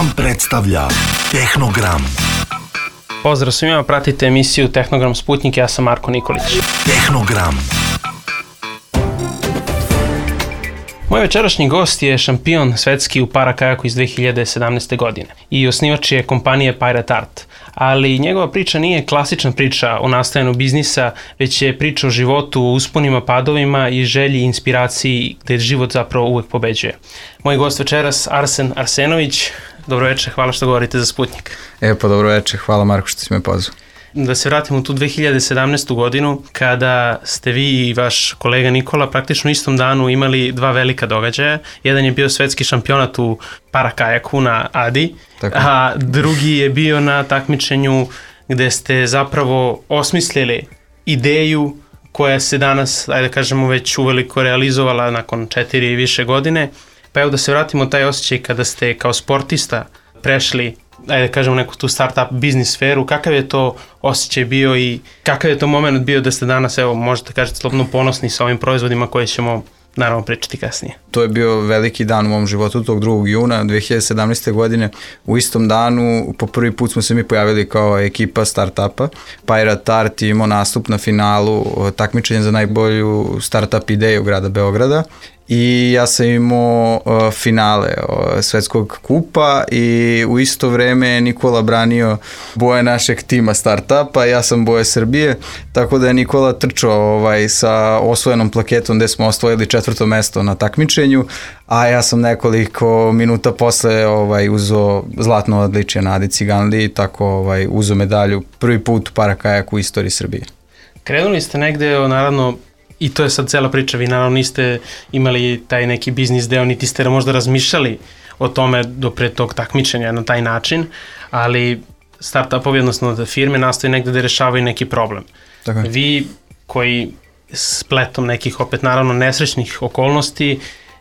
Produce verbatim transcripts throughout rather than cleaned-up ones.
Vam predstavlja Tehnogram. Pozdrav svima, pratite emisiju Tehnogram Sputnik, ja sam Marko Nikolić. Tehnogram. Moj večerašnji gost je šampion svetski u parakajaku iz dve hiljade sedamnaeste. godine i osnivač je kompanije Pirate Art. Ali njegova priča nije klasična priča o nastajanju biznisa, već je priča o životu, o usponima, padovima i želji i inspiraciji gde život zapravo uvek pobeđuje. Moj gost večeras Arsen Arsenović. Dobro večer, hvala što govorite za Sputnik. E pa dobro večer, hvala Marko što si me pozvao. Da se vratimo u tu dve hiljade sedamnaestu. godinu, kada ste vi i vaš kolega Nikola praktično u istom danu imali dva velika događaja. Jedan je bio svetski šampionat u parakajaku na Adi, tako, a drugi je bio na takmičenju gde ste zapravo osmislili ideju koja se danas, ajde da kažemo, već uveliko realizovala nakon četiri i više godine. Pa evo da se vratimo taj osjećaj kada ste kao sportista prešli, ajde da kažemo, neku tu start-up biznis sferu. Kakav je to osjećaj bio i kakav je to moment bio da ste danas, evo, možete kažete, slobodno ponosni sa ovim proizvodima koje ćemo naravno pričati kasnije? To je bio veliki dan u mom životu, tog drugog juna dve hiljade sedamnaeste. godine. U istom danu po prvi put smo se mi pojavili kao ekipa start-upa. Pirate Art je imao nastup na finalu takmičenja za najbolju start-up ideju grada Beograda. I ja sam imao uh, finale uh, svetskog kupa i u isto vreme Nikola branio boje našeg tima startupa, ja sam boje Srbije, tako da je Nikola trčao ovaj, sa osvojenom plaketom gde smo osvojili četvrto mesto na takmičenju, a ja sam nekoliko minuta posle ovaj, uzo zlatno odličje na Adi Ciganliji, tako ovaj, uzo medalju prvi put u parakajaku u istoriji Srbije. Krenuli ste negde, naravno, i to je sad cela priča, vi naravno niste imali taj neki biznis deo, niti ste možda razmišljali o tome do pre tog takmičenja na taj način, ali start-upovi, odnosno da firme nastoji negde da rešavaju neki problem. Tako. Vi koji spletom nekih, opet naravno nesrećnih okolnosti,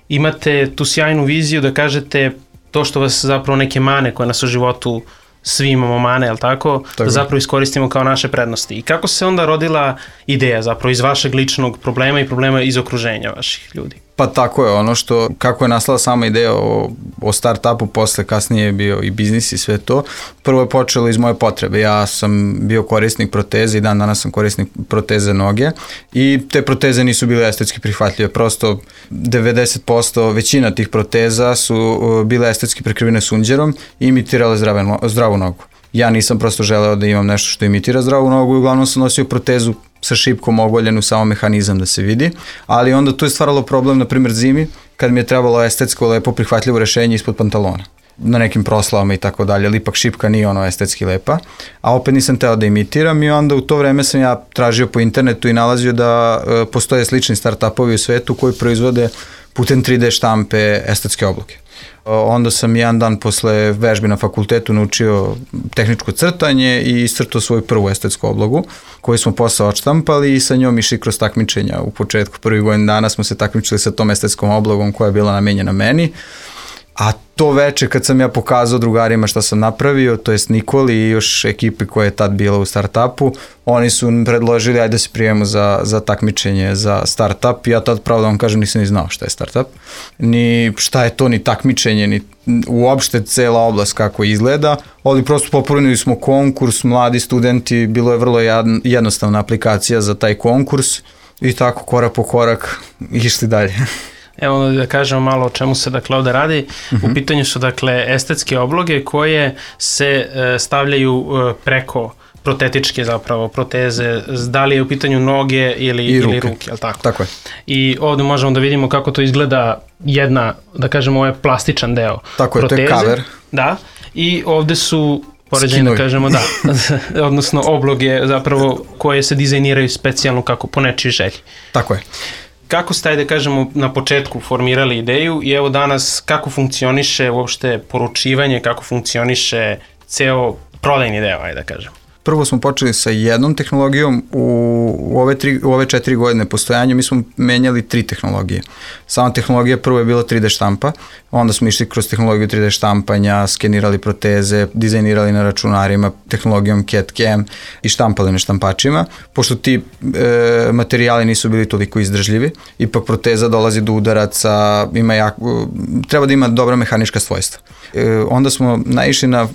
imate tu sjajnu viziju da kažete to što vas zapravo neke mane koje nas u životu, svi imamo mane, jel tako, tako, da zapravo iskoristimo kao naše prednosti. I kako se onda rodila ideja zapravo iz vašeg ličnog problema i problema iz okruženja vaših ljudi? Pa tako je, ono što, kako je nastala sama ideja o, o start-upu, posle kasnije je bio i biznis i sve to. Prvo je počelo iz moje potrebe. Ja sam bio korisnik proteze i dan danas sam korisnik proteze noge i te proteze nisu bile estetski prihvatljive. Prosto devedeset posto većina tih proteza su bile estetski prekrivene sunđerom i imitirale zdrave, zdravu nogu. Ja nisam prosto želeo da imam nešto što imitira zdravu nogu i uglavnom sam nosio protezu sa šipkom ogoljenu, samo mehanizam da se vidi, ali onda tu je stvaralo problem, na primjer zimi, kad mi je trebalo estetsko lepo prihvatljivo rešenje ispod pantalona, na nekim proslavama i tako dalje, ali ipak šipka nije ono estetski lepa, a opet nisam teo da imitiram i onda u to vreme sam ja tražio po internetu i nalazio da e, postoje slični start-upovi u svetu koji proizvode putem tri de štampe estetske obloge. Onda sam jedan dan posle vežbi na fakultetu naučio tehničko crtanje i iscrtao svoju prvu estetsku oblogu koju smo posle odštampali i sa njom išli kroz takmičenja. U početku prvih godin dana smo se takmičili sa tom estetskom oblogom koja je bila namenjena meni. A to veče kad sam ja pokazao drugarima šta sam napravio, to jest Nikoli i još ekipi koja je tad bila u startupu, oni su predložili ajde da se prijemo za, za takmičenje za startup i ja tad pravo da vam kažem nisam ni znao šta je startup, ni šta je to ni takmičenje, ni uopšte cela oblast kako izgleda, ali prosto popunili smo konkurs, mladi studenti, bilo je vrlo jednostavna aplikacija za taj konkurs i tako korak po korak išli dalje. Evo da kažemo malo o čemu se dakle ovde radi. Uh-huh. U pitanju su dakle estetske obloge koje se e, stavljaju e, preko protetičke zapravo proteze, da li je u pitanju noge ili, I ruke. ili ruke, jel tako? Tako je. I ovde možemo da vidimo kako to izgleda jedna, da kažemo, ovo je plastičan deo tako proteze. Tako je, to je cover. Da, i ovde su poređenje, da kažemo, da, odnosno obloge zapravo koje se dizajniraju specijalno kako po nečiji želji. Tako je. Kako ste, da kažemo, na početku formirali ideju i evo danas kako funkcioniše uopšte poručivanje, kako funkcioniše ceo prodajni deo, ajde da kažem? Prvo smo počeli sa jednom tehnologijom, u, u, ove, tri, u ove četiri godine postojanja mi smo menjali tri tehnologije. Sama tehnologija prvo je bila tri D štampa, onda smo išli kroz tehnologiju tri D štampanja, skenirali proteze, dizajnirali na računarima, tehnologijom C A D C A M i štampali na štampačima. Pošto ti e, materijali nisu bili toliko izdržljivi, ipak proteza dolazi do udaraca, ima jako, treba da ima dobra mehanička svojstva. E, onda smo naišli na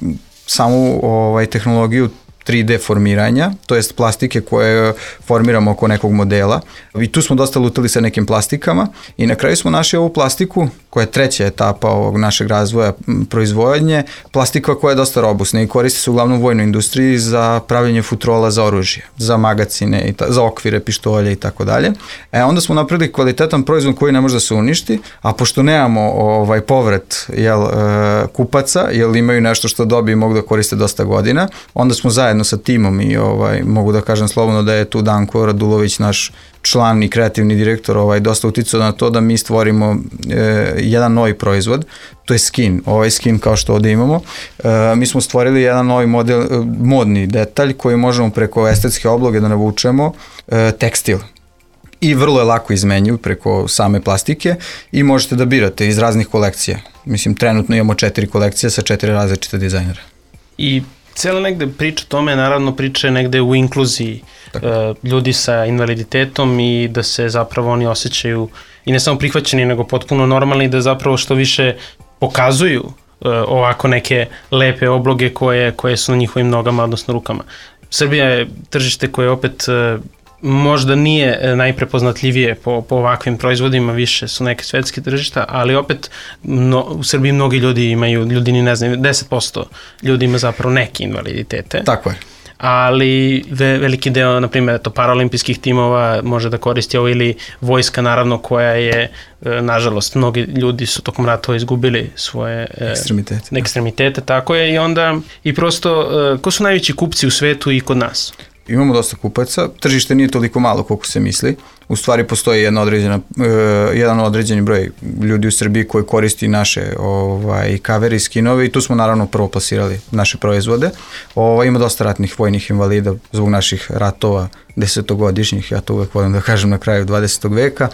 samu ovaj, tehnologiju tri D formiranja, to jest plastike koje formiramo oko nekog modela. I tu smo dosta lutali sa nekim plastikama i na kraju smo našli ovu plastiku koja je treća etapa ovog našeg razvoja proizvodnje, plastika koja je dosta robustna i koristi se uglavnom u vojnoj industriji za pravljenje futrola za oružje, za magacine, i ta, za okvire, pištolje i tako dalje. E onda smo napravili kvalitetan proizvod koji ne može da se uništi, a pošto nemamo ovaj povrat jel, e, kupaca, jel imaju nešto što dobiju i mogu da koriste dosta godina, onda smo zajedno sa timom i ovaj, mogu da kažem slobodno da je tu Danko Radulović, naš član i kreativni direktor, ovaj, dosta uticao na to da mi stvorimo e, jedan novi proizvod, to je skin, ovaj skin kao što ovde imamo. E, mi smo stvorili jedan novi model, e, modni detalj koji možemo preko estetske obloge da navučemo e, tekstil. I vrlo je lako izmenjiv preko same plastike i možete da birate iz raznih kolekcija. Mislim, trenutno imamo četiri kolekcije sa četiri različite dizajnera. I cijela negde priča tome, naravno priča je negde u inkluziji uh, ljudi sa invaliditetom i da se zapravo oni osjećaju i ne samo prihvaćeni, nego potpuno normalni, da zapravo što više pokazuju uh, ovako neke lepe obloge koje, koje su na njihovim nogama, odnosno rukama. Srbija je tržište koje opet uh, možda nije najprepoznatljivije po, po ovakvim proizvodima, više su neke svetske tržišta, ali opet no, u Srbiji mnogi ljudi imaju, ljudi ni ne znaju, deset posto ljudi ima zapravo neke invaliditete. Tako je. Ali ve, veliki deo, na primjer, to paraolimpijskih timova može da koristi ovo ili vojska, naravno, koja je, nažalost, mnogi ljudi su tokom ratova izgubili svoje ekstremitete. ekstremitete, tako je, i onda, i prosto, ko su najveći kupci u svetu i kod nas? Imamo dosta kupaca, tržište nije toliko malo koliko se misli, u stvari postoji jedna određena, uh, jedan određeni broj ljudi u Srbiji koji koristi naše ovaj, kavere i skinove i tu smo naravno prvo plasirali naše proizvode. Ovaj, ima dosta ratnih vojnih invalida zbog naših ratova desetogodišnjih, ja to uvek volim da kažem na kraju dvadesetog veka.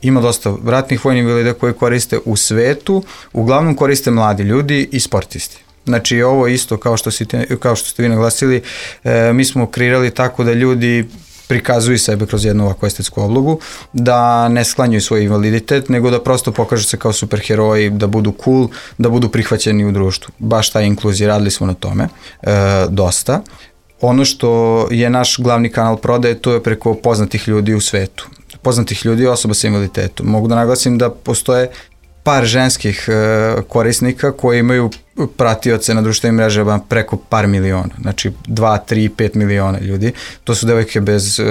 Ima dosta ratnih vojnih invalida koji koriste u svetu, uglavnom koriste mladi ljudi i sportisti. Znači ovo isto kao što, si te, kao što ste vi naglasili, e, mi smo kreirali tako da ljudi prikazuju sebe kroz jednu ovakvu estetsku oblogu, da ne sklanjuju svoj invaliditet, nego da prosto pokažu se kao superheroji, da budu cool, da budu prihvaćeni u društvu. Baš ta inkluzija, radili smo na tome e, dosta. Ono što je naš glavni kanal prodaje, to je preko poznatih ljudi u svetu. Poznatih ljudi i osoba sa invaliditetom. Mogu da naglasim da postoje par ženskih e, korisnika koji imaju pratioce na društvenim mrežama preko par miliona, znači dva, tri, pet miliona ljudi. To su devojke bez e,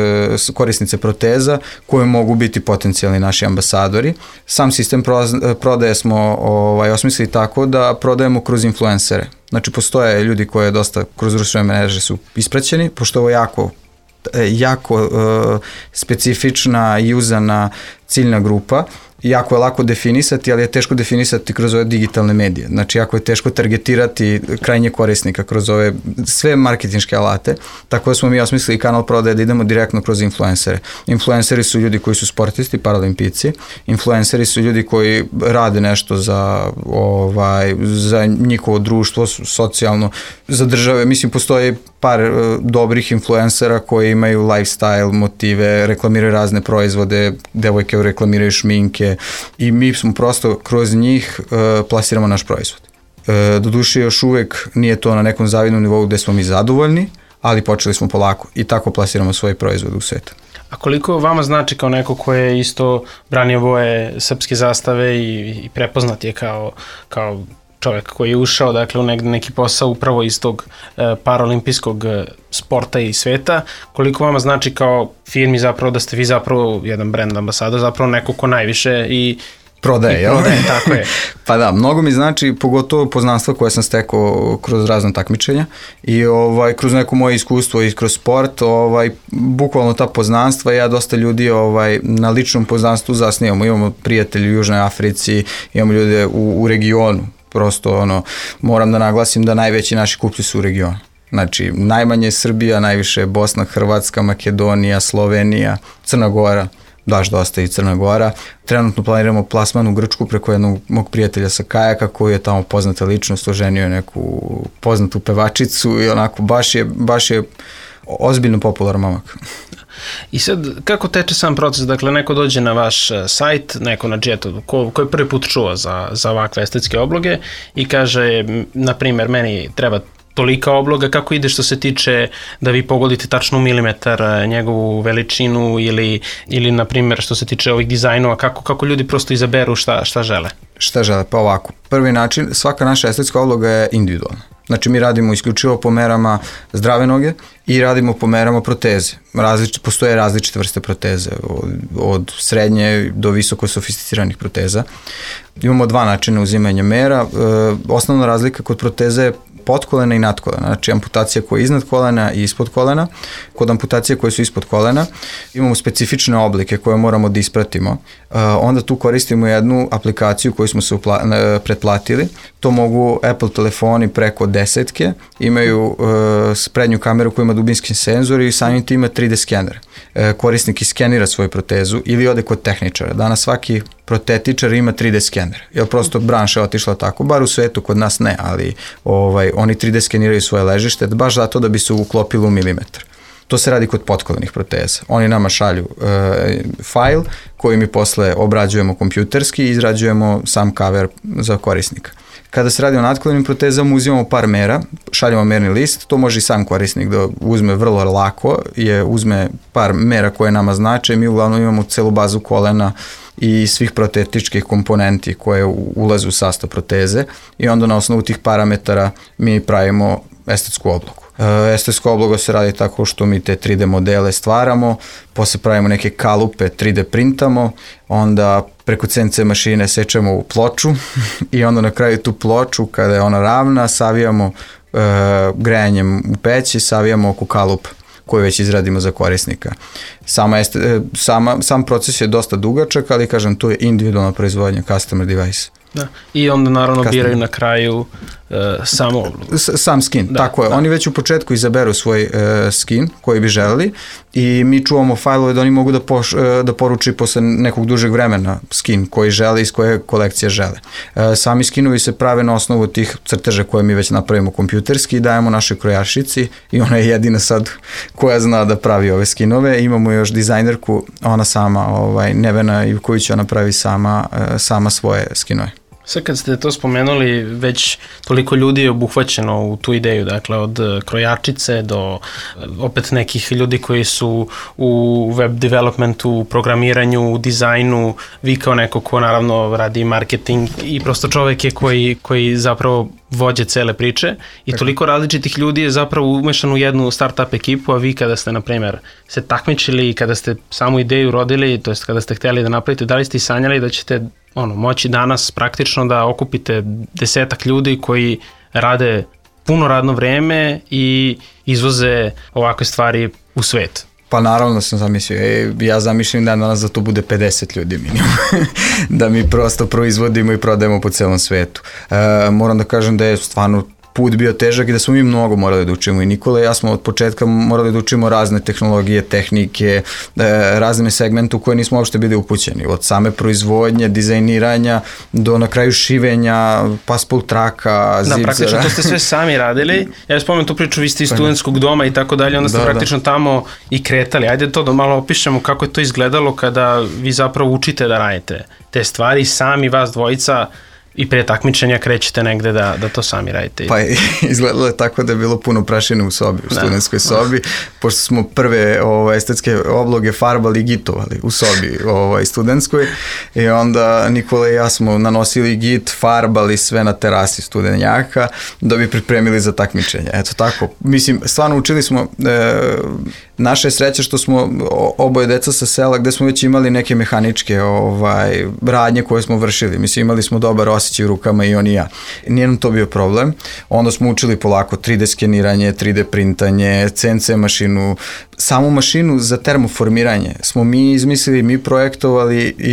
korisnice proteza koje mogu biti potencijalni naši ambasadori. Sam sistem pro, prodaje smo ovaj, osmislili tako da prodajemo kroz influencere. Znači postoje ljudi koji dosta kroz društvene mreže su ispraćeni, pošto ovo jako jako e, specifična i uzana ciljna grupa. Jako je lako definisati, ali je teško definisati kroz ove digitalne medije. Znači, jako je teško targetirati krajnje korisnika kroz ove sve marketinške alate. Tako da smo mi osmislili kanal prodaje da idemo direktno kroz influencere. Influenceri su ljudi koji su sportisti, paralimpici. Influenceri su ljudi koji rade nešto za, ovaj, za njihovo društvo, socijalno, za države. Mislim, postoji par uh, dobrih influencera koji imaju lifestyle, motive, reklamiraju razne proizvode, devojke reklamiraju šminke i mi smo prosto kroz njih uh, plasiramo naš proizvod. Uh, doduše još uvek nije to na nekom zavidnom nivou gde smo mi zadovoljni, ali počeli smo polako i tako plasiramo svoj proizvod u svijetu. A koliko vama znači kao neko ko je isto branio boje srpske zastave i, i prepoznat je kao, kao čovjek koji je ušao dakle, u neki posao upravo iz tog e, paraolimpijskog sporta i sveta, koliko vama znači kao firmi zapravo da ste vi zapravo jedan brand ambasador, zapravo neko ko najviše i prodaje, jel? Prodaje, tako je. Pa da, mnogo mi znači, pogotovo poznanstva koje sam stekao kroz razne takmičenja i ovaj, kroz neko moje iskustvo i kroz sport, ovaj, bukvalno ta poznanstva, ja dosta ljudi ovaj, na ličnom poznanstvu zasnijamo, imamo prijatelji u Južnoj Africi, imamo ljude u, u regionu, prosto ono, moram da naglasim da najveći naši kupci su u regionu. Znači, najmanje je Srbija, najviše je Bosna, Hrvatska, Makedonija, Slovenija, Crna Gora, daš dosta i Crna Gora. Trenutno planiramo plasman u Grčku preko jednog mog prijatelja sa kajaka koji je tamo poznata ličnost, oženio je neku poznatu pevačicu i onako baš je, baš je ozbiljno popularan momak. I sad, kako teče sam proces? Dakle, neko dođe na vaš sajt, neko na Jetu, ko, ko je prvi put čuo za, za ovakve estetske obloge i kaže, na primjer, meni treba tolika obloga, kako ide što se tiče da vi pogodite tačno u milimetar njegovu veličinu ili, ili na primjer, što se tiče ovih dizajnova, kako, kako ljudi prosto izaberu šta, šta žele? Šta žele? Pa ovako. Prvi način, svaka naša estetska obloga je individualna. Znači, mi radimo isključivo po merama zdrave noge i radimo po merama proteze. Različ, postoje različite vrste proteze, od, od srednje do visoko sofisticiranih proteza. Imamo dva načina uzimanja mera. E, osnovna razlika kod proteze je podkolena i nadkolena, znači amputacija koja je iznad kolena i ispod kolena. Kod amputacije koje su ispod kolena imamo specifične oblike koje moramo da ispratimo. Uh, onda tu koristimo jednu aplikaciju koju smo se upla- pretplatili. To mogu Apple telefoni preko desetke, imaju uh, prednju kameru koja ima dubinski senzor i samim tim ima tri D skener. Uh, korisnik iskenira svoju protezu ili ode kod tehničara. Danas svaki protetičar ima tri D skener, jer prosto branša je otišla tako, bar u svetu, kod nas ne, ali ovaj, oni tri D skeniraju svoje ležište, baš zato da bi se uklopilo u milimetar. To se radi kod potkolenih proteza. Oni nama šalju e, fajl koji mi posle obrađujemo kompjuterski i izrađujemo sam cover za korisnika. Kada se radi o nadkolenim protezama, uzimamo par mera, šaljamo merni list, to može i sam korisnik da uzme vrlo lako, je uzme par mera koje nama znače, mi uglavnom imamo celu bazu kolena i svih protetičkih komponenti koje ulaze u sastav proteze i onda na osnovu tih parametara mi pravimo estetsku oblogu. Estetska obloga se radi tako što mi te tri D modele stvaramo, posle pravimo neke kalupe, tri D printamo, onda preko C N C mašine sečemo u ploču i onda na kraju tu ploču, kada je ona ravna, savijamo e, grejanjem u peći, savijamo oko kalupa koju već izradimo za korisnika. Sama este, sama, sam proces je dosta dugačak, ali kažem, to je individualna proizvodnja, customer device. Da. I onda naravno Kastim. biraju na kraju uh, samo oblogu. Sam skin, da, tako je. Da. Oni već u početku izaberu svoj uh, skin koji bi želeli i mi čuvamo fajlove da oni mogu da, poš, uh, da poruči posle nekog dužeg vremena skin koji žele, iz koje kolekcije žele. Uh, sami skinovi se prave na osnovu tih crteža koje mi već napravimo kompjuterski i dajemo našoj krojašici i ona je jedina sad koja zna da pravi ove skinove. Imamo još dizajnerku, ona sama, ovaj, Nevena Ivković, ona pravi sama, uh, sama svoje skinove. Sad kad ste to spomenuli, već toliko ljudi je obuhvaćeno u tu ideju, dakle od krojačice do opet nekih ljudi koji su u web developmentu, u programiranju, u dizajnu, vi kao neko ko naravno radi marketing i prosto čovek je koji, koji zapravo vođe cele priče i toliko različitih ljudi je zapravo umešano u jednu startup ekipu, a vi kada ste, na primjer, se takmičili i kada ste samu ideju rodili, to jest kada ste htjeli da napravite, da li ste i sanjali da ćete ono, moći danas praktično da okupite desetak ljudi koji rade puno radno vreme i izvoze ovakve stvari u svet? Pa naravno da sam zamislio, e, ja zamišljam da danas da to bude pedeset ljudi minimum, da mi prosto proizvodimo i prodajemo po celom svetu. E, moram da kažem da je stvarno put bio težak i da smo mi mnogo morali da učimo i Nikola i ja smo od početka morali da učimo razne tehnologije, tehnike, razne segmente u koje nismo uopšte bili upućeni, od same proizvodnje, dizajniranja do na kraju šivenja, passport traka, zipzera. Da, praktično to ste sve sami radili. Ja spomenem tu priču, vi ste iz studentskog doma i tako dalje, onda ste da, praktično da. tamo i kretali. Ajde to da malo opišemo kako je to izgledalo kada vi zapravo učite da radite te stvari, sami vas dvojica i pre takmičenja krećete negde da, da to sami radite. Pa izgledalo je tako da je bilo puno prašine u sobi, u studentskoj sobi, pošto smo prve ovaj, estetske obloge farbali i gitovali u sobi ovaj, studentskoj i onda Nikola i ja smo nanosili git, farbali sve na terasi studenjaka da bi pripremili za takmičenje. Eto tako, mislim, stvarno učili smo, e, naša je sreća što smo oboje deca sa sela gde smo već imali neke mehaničke ovaj, radnje koje smo vršili. Mislim, imali smo dobar osjećaj u rukama i on i ja. Nije nam to bio problem. Onda smo učili polako tri D skeniranje, tri D printanje, C N C mašinu. samu mašinu za termoformiranje smo mi izmislili, mi projektovali i,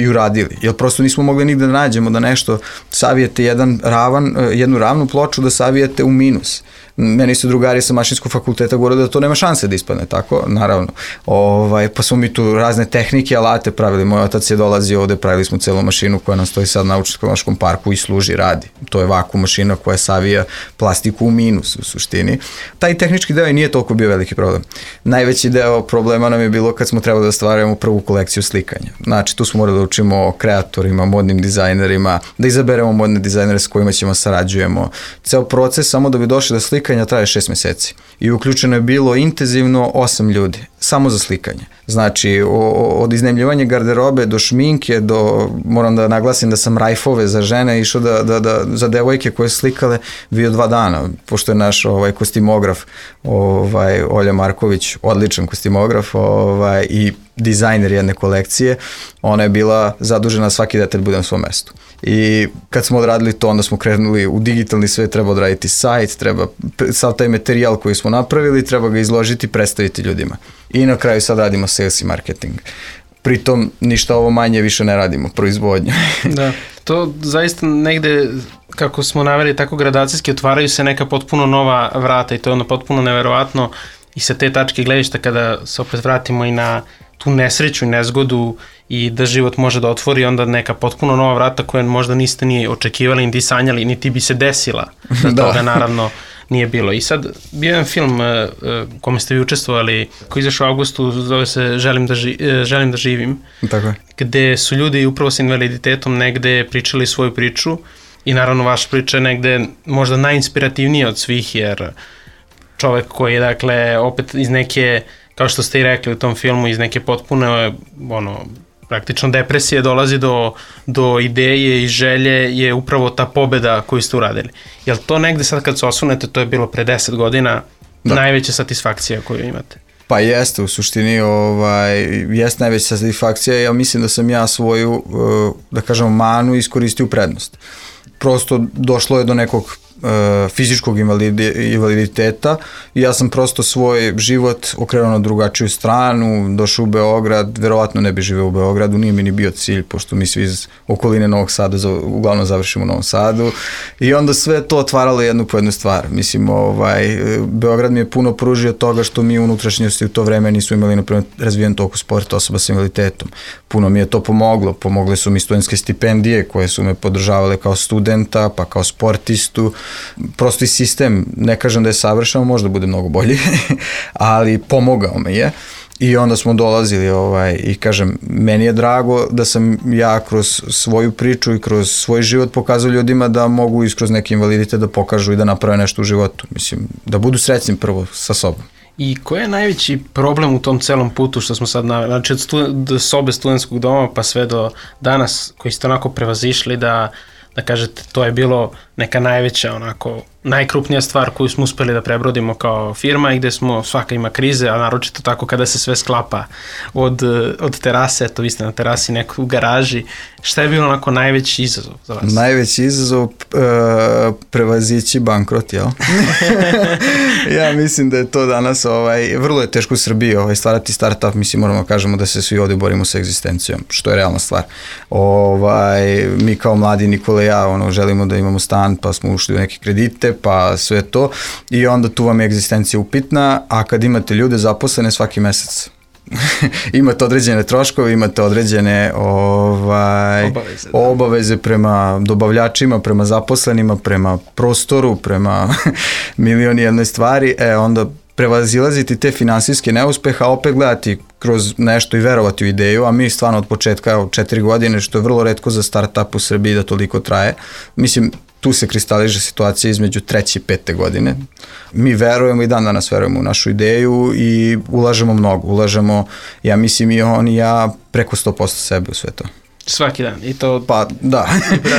i uradili. Jer prosto nismo mogli nigde da nađemo da nešto savijete jedan ravan, jednu ravnu ploču da savijete u minus. Meni su drugari sa mašinskog fakulteta govorili da to nema šanse da ispadne tako, naravno. Ovaj, pa smo mi tu razne tehnike, alate pravili. Moj otac je dolazio ovde, pravili smo celu mašinu koja nam stoji sad na Naučno-tehnološkom parku i služi, radi. To je vakuum mašina koja savija plastiku u minus u suštini. Taj tehnički deo i nije toliko bio veliki problem. Najveći deo problema nam je bilo kad smo trebali da stvaramo prvu kolekciju slikanja. Znači, tu smo morali da učimo o kreatorima, modnim dizajnerima, da izaberemo modne dizajnere s kojima ćemo sarađujemo. Ceo proces samo da bi došli do slikanja traje šest meseci. I uključeno je bilo intenzivno osam ljudi, samo za slikanje. Znači, o, od iznajmljivanja garderobe do šminke, do, moram da naglasim da sam rajfove za žene išao da, da, da, za devojke koje su slikale bio dva dana, pošto je naš ovaj, kostimograf ovaj, Olja Marković, odličan kostimograf ovaj, i dizajner jedne kolekcije, ona je bila zadužena svaki detalj bude na svom mestu. I kad smo odradili to, onda smo krenuli u digitalni svet, treba odraditi sajt, treba sav taj materijal koji smo napravili, treba ga izložiti i predstaviti ljudima. I na kraju sad radimo sales i marketing. Pritom ništa ovo manje više ne radimo, proizvodnju. Da, to zaista negde, kako smo naveli, tako gradacijski otvaraju se neka potpuno nova vrata i to je ono potpuno neverovatno i sa te tačke gledišta kada se opet vratimo i na tu nesreću i nezgodu i da život može da otvori onda neka potpuno nova vrata koja možda niste ni očekivali, niti sanjali, niti bi se desila da, da. Toga naravno nije bilo. I sad bio jedan film uh, kome ste vi učestvovali koji izašao u avgustu, zove se Želim da, ži, uh, Želim da živim, tako je. Gde su ljudi upravo sa invaliditetom negde pričali svoju priču i naravno vaša priča je negde možda najinspirativnija od svih jer čovek koji je dakle opet iz neke, kao što ste i rekli u tom filmu, iz neke potpune ono, praktično depresije dolazi do, do ideje i želje je upravo ta pobeda koju ste uradili. Jel to negde sad kad se osvrnete, to je bilo pre deset godina, da. Najveća satisfakcija koju imate? Pa jeste, u suštini ovaj, jeste najveća satisfakcija, ja mislim da sam ja svoju, da kažem, manu iskoristio u prednost. Prosto došlo je do nekog fizičkog invaliditeta i ja sam prosto svoj život okrenuo na drugačiju stranu, došao u Beograd, verovatno ne bi živeo u Beogradu, nije mi ni bio cilj, pošto mi svi iz okoline Novog Sada uglavnom završimo u Novom Sadu i onda sve to otvaralo jednu po jednu stvar. Mislim, ovaj, Beograd mi je puno pružio toga što mi unutrašnjosti u to vreme nisu imali naprimjer razvijen toliko sporta osoba sa invaliditetom. Puno mi je to pomoglo, pomogle su mi studentske stipendije koje su me podržavale kao studenta, pa kao sportistu. Prosto i sistem, ne kažem da je savršeno, možda bude mnogo bolji, ali pomogao me je i onda smo dolazili ovaj, i kažem, meni je drago da sam ja kroz svoju priču i kroz svoj život pokazao ljudima da mogu i kroz neke invalidite da pokažu i da naprave nešto u životu, mislim, da budu srećni prvo sa sobom. I koji je najveći problem u tom celom putu što smo sad naveli, znači od stu, sobe studentskog doma pa sve do danas koji ste onako prevazišli da da kažete, to je bilo neka najveća, onako, najkrupnija stvar koju smo uspeli da prebrodimo kao firma i gde smo, svaka ima krize, a naročito tako kada se sve sklapa od, od terase, eto vi ste na terasi neko u garaži. Šta je bilo onako najveći izazov za vas? Najveći izazov uh, prevazići bankrot, jel? Ja mislim da je to danas, ovaj, vrlo je teško u Srbiji ovaj, stvarati startup, mislim moramo kažemo da se svi ovde borimo sa egzistencijom, što je realna stvar. Ovaj, mi kao mladi Nikola i ja ono, želimo da imamo stan, pa smo ušli u neke kredite, pa sve to i onda tu vam je egzistencija upitna, a kad imate ljude zaposlene svaki mesec imate određene troškove, imate određene ovaj, obaveze, da. obaveze prema dobavljačima, prema zaposlenima, prema prostoru, prema milioni jednoj stvari, e onda prevazilaziti te finansijske neuspeha, opet gledati kroz nešto i verovati u ideju, a mi stvarno od početka od četiri godine, što je vrlo retko za startup u Srbiji da toliko traje, mislim, tu se kristaliže situacija između treće i pete godine. Mi verujemo i dan danas verujemo u našu ideju i ulažemo mnogo. Ulažemo, ja mislim i on i ja, preko sto posto sebe u sve to. Svaki dan. I to, pa da,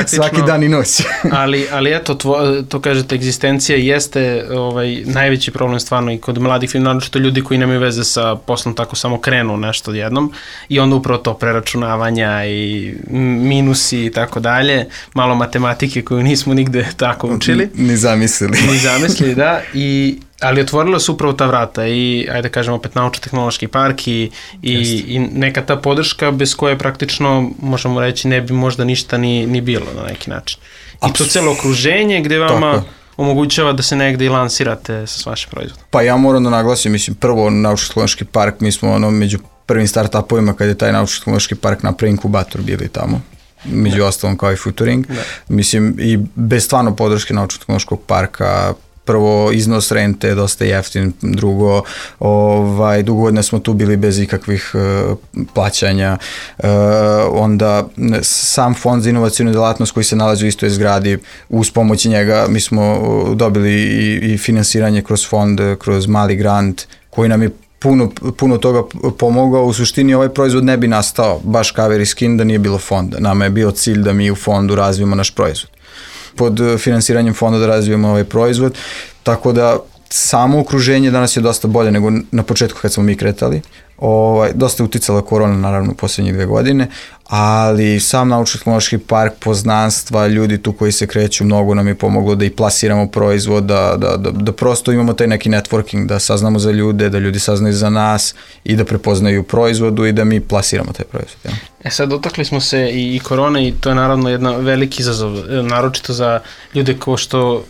svaki dan i noć. ali, ali eto, tvo, to kažete, egzistencija jeste ovaj, najveći problem stvarno i kod mladih film, naročito ljudi koji nemaju veze sa poslom, tako samo krenu nešto jednom i onda upravo to preračunavanja i minusi i tako dalje, malo matematike koju nismo nigde tako učili. Ni zamislili. Ni zamislili, da. I Ali otvorilo se upravo ta vrata i, ajde kažemo, opet naučno-tehnološki park i, i, i neka ta podrška bez koje praktično, možemo reći, ne bi možda ništa ni, ni bilo na neki način. I to celo okruženje gde vama tako omogućava da se negde i lansirate sa vašim proizvodom. Pa ja moram da naglasim, mislim, prvo naučno-tehnološki park, mi smo ono među prvim startupovima kad je taj naučno-tehnološki park napravio inkubator bili tamo, među da. ostalom kao i Futuring. Da. Mislim, i bez stvarno podrške naučno-tehnološkog parka, prvo iznos rente je dosta jeftin, drugo, ovaj, dugo godina smo tu bili bez ikakvih uh, plaćanja, uh, onda sam fond za inovacijnu delatnost koji se nalazi u istoj zgradi, uz pomoć njega mi smo dobili i, i finansiranje kroz fond, kroz mali grant koji nam je puno, puno toga pomogao. U suštini ovaj proizvod ne bi nastao baš Cover i Skin da nije bilo fonda. Nama je bio cilj da mi u fondu razvijemo naš proizvod. Pod finansiranjem fonda da razvijemo ovaj proizvod, tako da samo okruženje danas je dosta bolje nego na početku kad smo mi kretali. Ovaj, dosta je uticala korona naravno u posljednjih dve godine, ali sam naučno-tehnološki park, poznanstva, ljudi tu koji se kreću, mnogo nam je pomoglo da i plasiramo proizvod, da, da, da, da prosto imamo taj neki networking, da saznamo za ljude, da ljudi saznaju za nas i da prepoznaju proizvodu i da mi plasiramo taj proizvod. Ja. E sad, dotakli smo se i, i korone i to je naravno jedan veliki izazov, naročito za ljude ko što,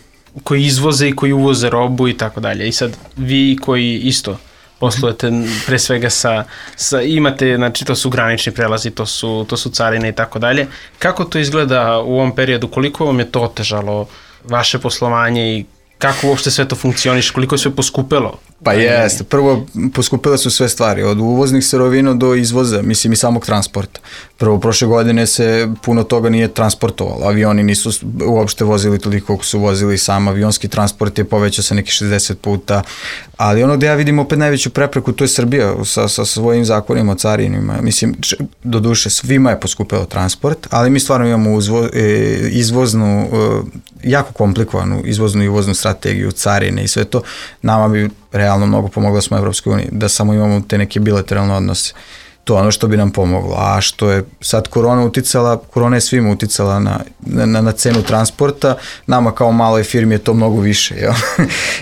koji izvoze i koji uvoze robu i tako dalje. I sad, vi koji isto poslujete pre svega sa, sa, imate, znači to su granični prelazi, to su, to su carine i tako dalje. Kako to izgleda u ovom periodu, koliko vam je to otežalo vaše poslovanje i kako uopšte sve to funkcioniše, koliko je sve poskupelo? Pa jeste, prvo poskupile su sve stvari, od uvoznih sirovina do izvoza, mislim i samog transporta. Prvo, prošle godine se puno toga nije transportovalo, avioni nisu uopšte vozili toliko koliko su vozili, sam avionski transport je povećao se neki šezdeset puta, ali ono gde ja vidim opet najveću prepreku, to je Srbija sa, sa svojim zakonima, carinima, mislim, do duše svima je poskupilo transport, ali mi stvarno imamo uzvo, e, izvoznu, e, jako komplikovanu izvoznu i uvoznu strategiju, carine i sve to, nama bi realno mnogo pomogla smo Evropskoj uniji, da samo imamo te neke bilateralne odnose. To je ono što bi nam pomoglo. A što je sad korona uticala, korona je svima uticala na, na, na cenu transporta, nama kao maloj firmi je to mnogo više, jel?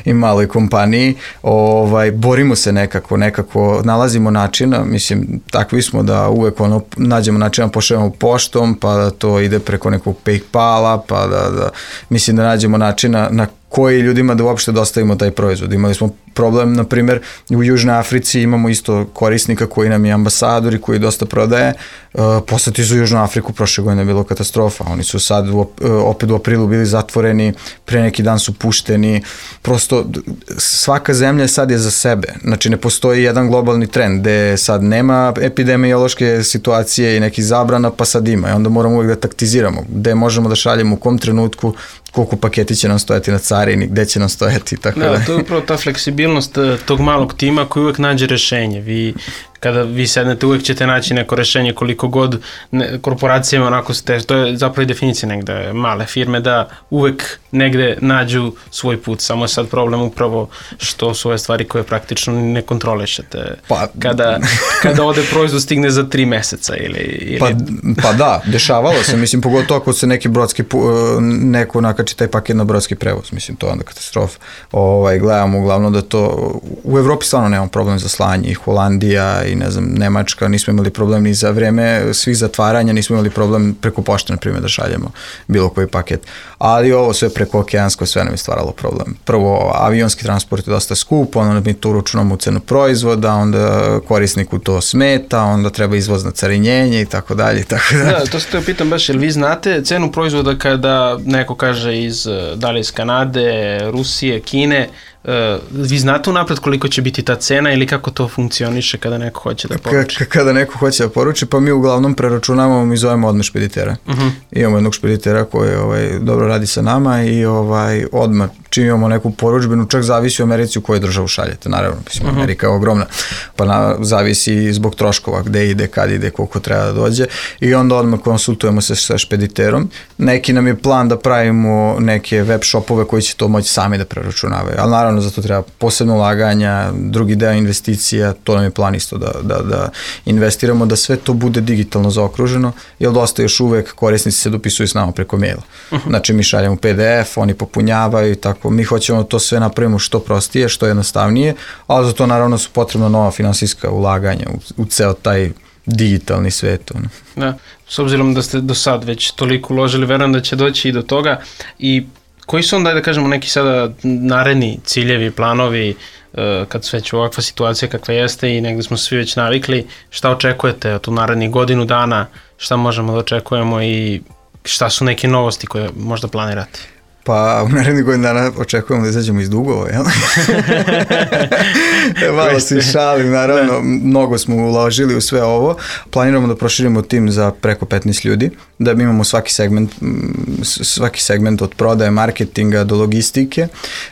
I maloj kompaniji. Ovaj, borimo se nekako, nekako nalazimo načina, mislim, takvi smo da uvek ono, nađemo načina, pošaljemo poštom, pa da to ide preko nekog PayPala, pa da, da mislim da nađemo načina na koji ljudima da uopšte dostavimo taj proizvod. Imali smo problem, na primjer, u Južnoj Africi imamo isto korisnika koji nam je ambasador i koji dosta prodaje. Uh, poslati su u Južnu Afriku, prošle godine je bilo katastrofa. Oni su sad u, opet u aprilu bili zatvoreni, pre neki dan su pušteni. Prosto svaka zemlja sad je za sebe. Znači ne postoji jedan globalni trend gde sad nema epidemiološke situacije i nekih zabrana, pa sad ima. I onda moramo uvijek da taktiziramo gde možemo da šaljemo, u kom trenutku, koliko paketi će nam stojati na carini, gde će nam stojati i tako da. Da, to je upravo ta fleksibilnost tog malog tima koji uvek nađe rešenje. Vi, kada vi sednete, uvek ćete naći neko rešenje koliko god ne, korporacijama onako ste, to je zapravo i definicija negde male firme, da uvek negde nađu svoj put. Samo je sad problem upravo što su ove stvari koje praktično ne kontrolišete. Pa, kada, kada ode proizvod stigne za tri meseca ili... ili... Pa, pa da, dešavalo se, mislim, pogotovo ako se neki brodski, neko nakači taj paket na brodski prevoz, mislim, to je onda katastrofa. Ovaj, gledamo uglavnom da to, u Evropi stvarno nemamo problem za slanje, i Holandija, i ne znam, Nemačka, nismo imali problem ni za vreme svih zatvaranja, nismo imali problem preko pošte, na primjer, da šaljemo bilo koji paket. Ali ovo sve preko okeansko, sve nam je stvaralo problem. Prvo, avionski transport je dosta skup, onda mi to uračunamo u cenu proizvoda, onda korisniku to smeta, onda treba izvozno carinjenje i tako dalje i tako dalje. Da, to se te pitam baš, jer vi znate cenu proizvoda kada neko kaže iz, da li iz Kanade, Rusije, Kine, Uh, vi znate unapred koliko će biti ta cena ili kako to funkcioniše kada neko hoće da poruči? K- kada neko hoće da poruči, pa mi uglavnom preračunavamo, mi zovemo odmah špeditera. Uh-huh. Imamo jednog špeditera koji ovaj, dobro radi sa nama i ovaj, odmah čim imamo neku poručbenu, čak zavisi u Americi u kojoj državu šaljete, naravno, mislim, uh-huh. Amerika je ogromna, pa na, zavisi zbog troškova, gde ide, kad ide, koliko treba da dođe i onda odmah konsultujemo se sa špediterom. Neki nam je plan da pravimo neke web shopove koji će to moći sami da preračunavaju, ali naravno naravno za to treba posebno ulaganja, drugi deo investicija, to nam je plan isto da, da, da investiramo, da sve to bude digitalno zaokruženo, jer dosta još uvek korisnici se dopisuju s nama preko maila. Uh-huh. Znači mi šaljamo P D F, oni popunjavaju i tako, mi hoćemo to sve napravimo što prostije, što jednostavnije, ali za to naravno su potrebna nova finansijska ulaganja u, u ceo taj digitalni svet. Da, s obzirom da ste do sad već toliko uložili, verujem da će doći i do toga. I koji su onda, da kažemo, neki sada naredni ciljevi, planovi, kad sve će ovakva situacija kakva jeste i negde smo svi već navikli, šta očekujete od narednih godinu dana, šta možemo da očekujemo i šta su neke novosti koje možda planirate? Pa u narednih godinu dana očekujemo da izađemo iz dugova, jel? Malo se šalim, naravno, da. Mnogo smo uložili u sve ovo. Planiramo da proširimo tim za preko petnaest ljudi, da imamo svaki segment, svaki segment od prodaje, marketinga do logistike.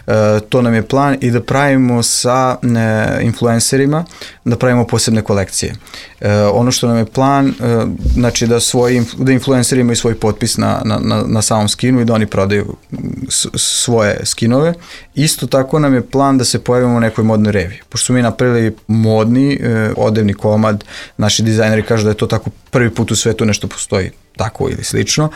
E, to nam je plan i da pravimo sa ne, influencerima, da pravimo posebne kolekcije. E, ono što nam je plan, e, znači da, svoji, da influenceri imaju svoj potpis na, na, na, na samom skinu i da oni prodaju svoje skinove. Isto tako nam je plan da se pojavimo u nekoj modnoj reviji. Pošto smo mi napravili modni e, odevni komad, naši dizajneri kažu da je to tako prvi put u svetu nešto postoji tako ili slično.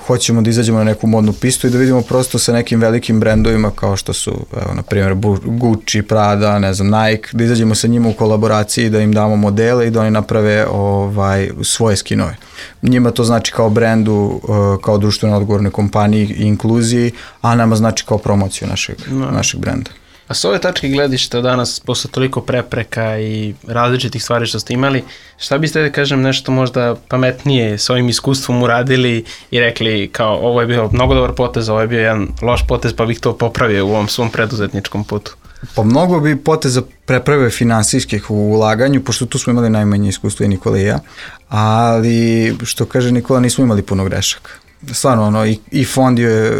Hoćemo da izađemo na neku modnu pistu i da vidimo prosto sa nekim velikim brendovima kao što su, evo, na primjer, Gucci, Prada, ne znam, Nike, da izađemo sa njima u kolaboraciji, da im damo modele i da oni naprave ovaj, svoje skinove. Njima to znači kao brendu, kao društveno odgovornoj kompaniji i inkluziji, a nama znači kao promociju našeg, no. našeg brenda. A s ove tačke gledišta danas, posle toliko prepreka i različitih stvari što ste imali, šta biste, da kažem, nešto možda pametnije s ovim iskustvom uradili i rekli kao ovo je bio mnogo dobar potez, ovo je bio jedan loš potez, pa bih to popravio u ovom svom preduzetničkom putu? Pa mnogo bi poteza prepravio finansijskih u ulaganju, pošto tu smo imali najmanje iskustvo i Nikola i ja, ali što kaže Nikola, nismo imali puno grešaka. Stvarno, ono, i, i fond, je,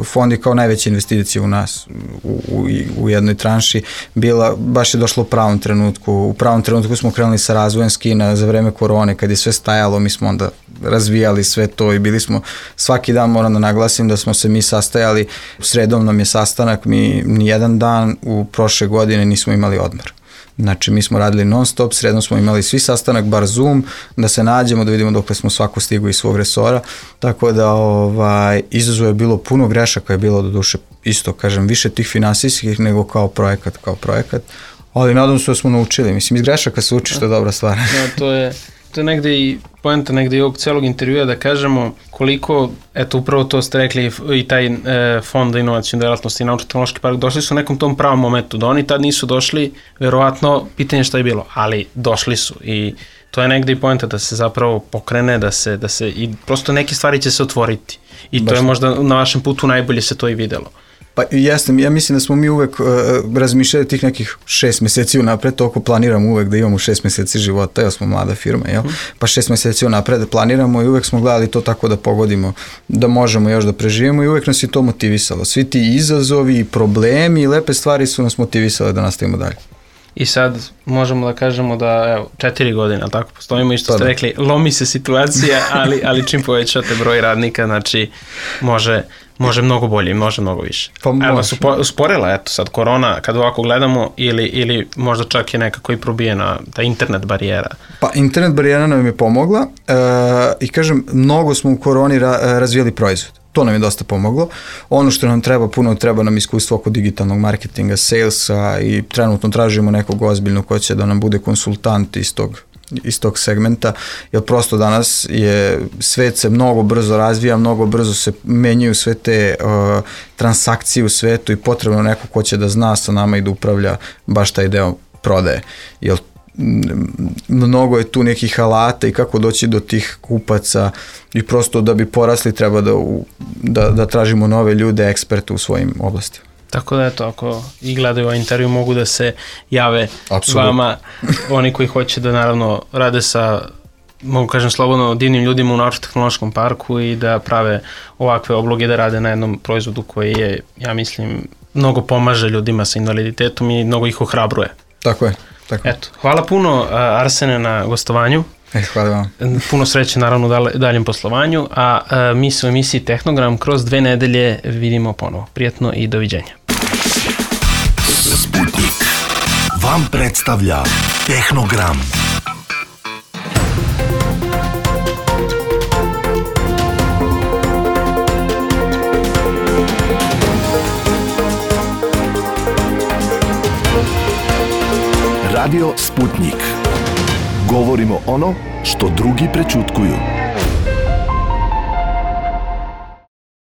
fond je kao najveća investicija u nas u, u, u jednoj tranši bila, baš je došlo u pravom trenutku. U pravom trenutku smo krenuli sa razvojem skina za vreme korone, kad je sve stajalo, mi smo onda razvijali sve to i bili smo, svaki dan moram da naglasim da smo se mi sastajali, sredom nam je sastanak, mi nijedan dan u prošle godine nismo imali odmor. Znači, mi smo radili non stop, sredno smo imali svi sastanak, bar Zoom, da se nađemo, da vidimo dokle smo svako stigu iz svog resora, tako da ovaj, izazov je bilo puno grešaka, je bilo do duše isto, kažem, više tih finansijskih nego kao projekat, kao projekat, ali nadam se da smo naučili, mislim, iz grešaka se uči, što je dobra stvar. Da, to je, to je negde i poenta negde i ovog celog intervjua da kažemo koliko, eto upravo to ste rekli i taj e, fond za inovacijnu delatnost i naučno-tehnološki park, došli su u nekom tom pravom momentu, da oni tad nisu došli, verovatno pitanje šta je bilo, ali došli su i to je negde i poenta da se zapravo pokrene, da se, da se i prosto neke stvari će se otvoriti i to Baš je možda na vašem putu najbolje se to i videlo. Pa jeste, ja mislim da smo mi uvek uh, razmišljali tih nekih šest meseci unapred, toliko planiramo uvek da imamo šest meseci života, jer smo mlada firma, jel? Mm. Pa šest meseci unapred planiramo i uvek smo gledali to tako da pogodimo, da možemo još da preživimo i uvek nas je to motivisalo. Svi ti izazovi i problemi i lepe stvari su nas motivisale da nastavimo dalje. I sad možemo da kažemo da, evo, četiri godine, ali tako postojimo i što ste rekli, lomi se situacija, ali, ali čim povećate broj radnika, znači može, može mnogo bolje, može mnogo više. Pa evo vas usporila, eto sad korona, kad ovako gledamo, ili, ili možda čak je nekako i probijena ta internet barijera? Pa internet barijera nam je pomogla e, i kažem, mnogo smo u koroni ra, razvijali proizvod. To nam je dosta pomoglo. Ono što nam treba, puno treba nam iskustvo oko digitalnog marketinga, salesa i trenutno tražimo nekog ozbiljnog ko će da nam bude konsultant iz tog, iz tog segmenta, jer prosto danas je, svet se mnogo brzo razvija, mnogo brzo se menjaju sve te uh, transakcije u svetu i potrebno neko ko će da zna sa nama i da upravlja baš taj deo prodaje. Jer mnogo je tu nekih alata i kako doći do tih kupaca i prosto da bi porasli treba da, da, da tražimo nove ljude, eksperte u svojim oblastima. Tako da eto, ako i gledaju ovaj intervju mogu da se jave Absolutno. Vama, oni koji hoće da naravno rade sa, mogu kažem slobodno, divnim ljudima u naučno-tehnološkom parku i da prave ovakve obloge, da rade na jednom proizvodu koji je, ja mislim, mnogo pomaže ljudima sa invaliditetom i mnogo ih ohrabruje. Tako je. Tako. Eto, hvala puno Arsene na gostovanju. E, hvala vam. Puno sreće naravno u daljem poslovanju, a, a mi se u emisiji Tehnogram kroz dve nedelje vidimo ponovo. Prijatno i doviđenja. vam predstavlja Tehnogram. Radio Sputnik. Govorimo ono što drugi prećutkuju.